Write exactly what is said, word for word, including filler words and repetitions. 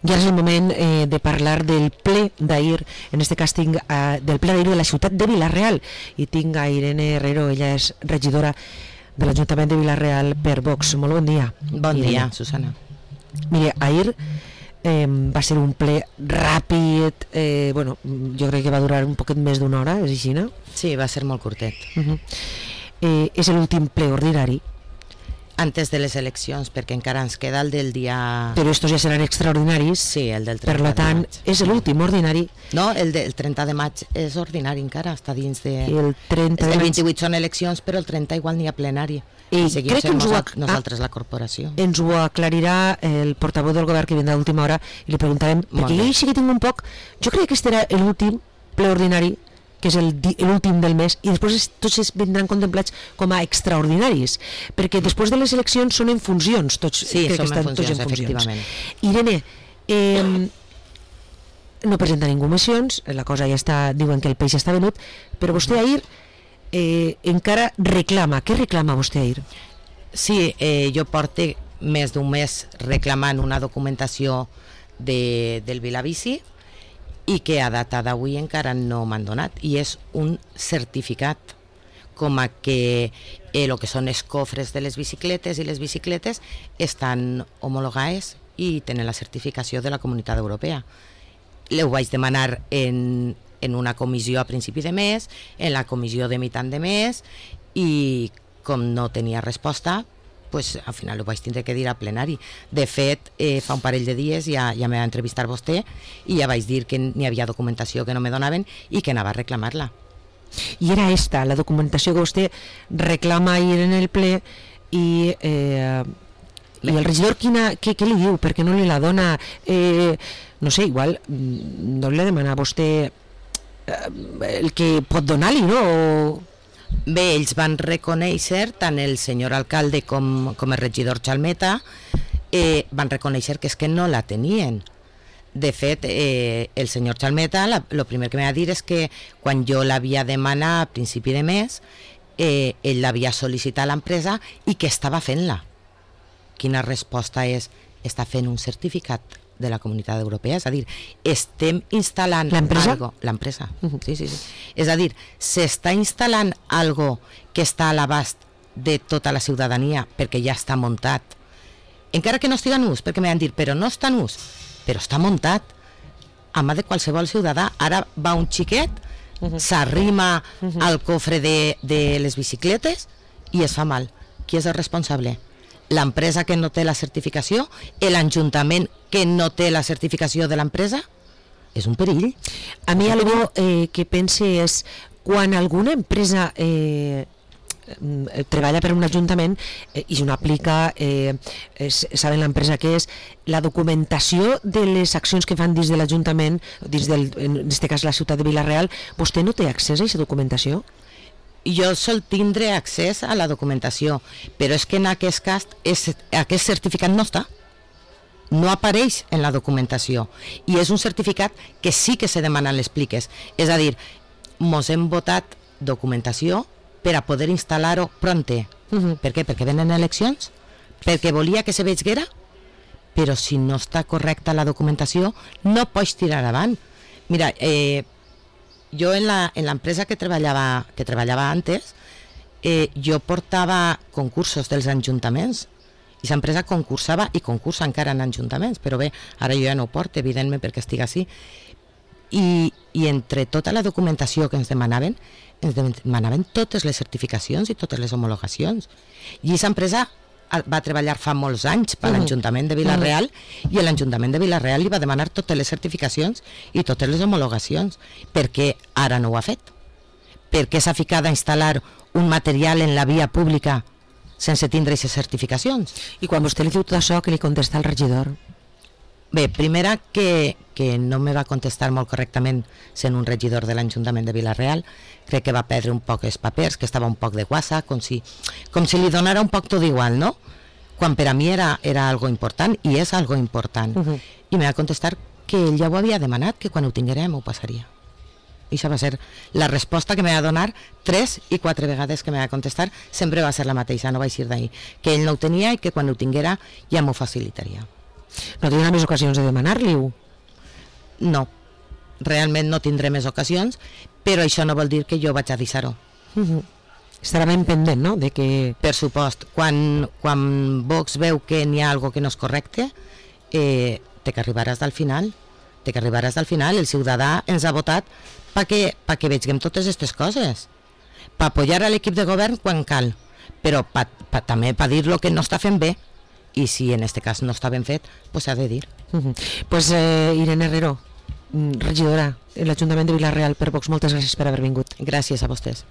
I ara és el moment eh, de parlar del ple d'ahir, en este cas tinc eh, del ple d'ahir de la ciutat de Vila-real, i tinc a Irene Herrero, ella és regidora de l'Ajuntament de Vila-real per Vox. Molt bon dia. Bon Irene. Dia, Susana. Mire, ahir eh, va ser un ple ràpid, eh, bueno, jo crec que va durar un poquet més d'una hora, és així, no? Sí, va ser molt curtet. Uh-huh. eh, és l'últim ple ordinari. Antes de les eleccions, perquè encara ens queda el del dia... Però estos ja seran extraordinaris. Sí, el del trenta per tant, de maig. És l'últim ordinari. No, el del trenta de maig és ordinari encara, està dins de... El trenta de maig... El vint-i-vuit són eleccions, però el trenta igual n'hi ha plenari. I seguim crec que ens ho, ac... nosaltres la corporació. Ens ho aclarirà el portaveu del govern que vindrà a última hora i li preguntarem, perquè jo sí que tinc un poc... Jo crec que aquest era l'últim ple ordinari, que és l'últim del mes, i després tots es vindran contemplats com a extraordinaris, perquè després de les eleccions són en funcions, tots, sí, crec que estan en funcions, tots en funcions. Efectivament. Irene, eh, no presenta ningú mocions, la cosa ja està, diuen que el peix està venut, però vostè ahir eh, encara reclama. Què reclama vostè ahir? Sí, eh, jo porto més d'un mes reclamant una documentació de, del Vilabici, i que a data d'avui encara no m'han donat, i és un certificat com a que el eh, que són els cofres de les bicicletes i les bicicletes estan homologades i tenen la certificació de la Comunitat Europea. Ho vaig demanar en, en una comissió a principi de mes, en la comissió de mitjan de mes, i com no tenia resposta, pues, al final ho vaig tindre que dir a plenari. De fet, eh, fa un parell de dies ja, ja me va entrevistar vostè i ja vaig dir que n'hi havia documentació que no me donaven i que anava a reclamar-la. I era esta, la documentació que vostè reclama ahir en el ple, i, eh, i el regidor quina, què, què li diu? Perquè no li la dona? Eh, no sé, igual no li demana a vostè eh, el que pot donar-li, no? O... Bé, ells van reconèixer, tant el senyor alcalde com, com el regidor Chalmeta, eh, van reconèixer que és que no la tenien. De fet, eh, el senyor Chalmeta, el primer que m'ha dit és que quan jo l'havia demanat a principi de mes, eh, ell l'havia sol·licitat a l'empresa i que estava fent-la. Quina resposta és? Està fent un certificat de la Comunitat Europea, és a dir, estem instal·lant algo, l'empresa, uh-huh. sí, sí, sí. És a dir, s'està instal·lant algo que està a l'abast de tota la ciutadania perquè ja està muntat, encara que no estigui en ús, perquè m'han dit, però no està en ús, però està muntat a mà de qualsevol ciutadà. Ara va un xiquet, uh-huh. s'arrima uh-huh. al cofre de, de les bicicletes i es fa mal. Qui és el responsable? L'empresa que no té la certificació, l'Ajuntament que no té la certificació de l'empresa, és un perill. A mi algo eh, que pense és, quan alguna empresa eh, treballa per un ajuntament eh, i no aplica, eh, es, saben l'empresa que és, la documentació de les accions que fan dins de l'Ajuntament, dins del, en aquest cas la ciutat de Vila-real, vostè no té accés a aquesta documentació? Jo sol tindre accés a la documentació, però és que en aquest cas és, aquest certificat no està, no apareix en la documentació, i és un certificat que sí que se demanen les pliques. És a dir, mos hem votat documentació per a poder instal·lar-ho pronte. Uh-huh. Per què? Perquè venen eleccions? Perquè volia que se veiguera? Però si no està correcta la documentació, no pots tirar avant. Mira, eh, jo en l'empresa que treballava que treballava antes, eh, jo portava concursos dels ajuntaments i l'empresa concursava i concursa encara en ajuntaments, però bé, ara jo ja no ho porto, evidentment, perquè estic així. I, i entre tota la documentació que ens demanaven, ens demanaven totes les certificacions i totes les homologacions. I aquesta empresa va treballar fa molts anys per l'Ajuntament de Vila-real, i l'Ajuntament de Vila-real li va demanar totes les certificacions i totes les homologacions. Per què ara no ho ha fet? Per què s'ha ficat a instal·lar un material en la via pública sense tindre aquestes certificacions? I quan vostè li diu tot això, que li contesta el regidor? Bé, primera, que, que no me va contestar molt correctament sent un regidor de l'Ajuntament de Vila-real. Crec que va perdre un poc els papers, que estava un poc de guassa, com si, com si li donara un poc tot igual, no? Quan per a mi era, era algo important, i és algo important. Uh-huh. I me va contestar que ell ja ho havia demanat, que quan ho tinguérem ho passaria. I això va ser la resposta que me va donar tres i quatre vegades que me va contestar, sempre va ser la mateixa, no vaig ir d'ahir, que ell no ho tenia i que quan ho tinguera ja m'ho facilitaria. No tindrà més ocasions de demanar-li-ho? No, realment no tindré més ocasions, però això no vol dir que jo vaig a deixar-ho. Uh -huh. Estarà ben pendent, no?, de que... Per supost, quan, quan Vox veu que n'hi ha algo que no és correcte, eh, té que arribaràs al final, té que arribaràs al final, el ciutadà ens ha votat perquè, perquè vegem totes aquestes coses, per apoyar a l'equip de govern quan cal, però pa, pa, també per dir lo que no està fent bé, i si en aquest cas no està ben fet, pues s'ha de dir. Uh -huh. Pues eh, Irene Herrero, regidora de l'Ajuntament de Vila-real per Vox, moltes gràcies per haver vingut. Gràcies a vostès.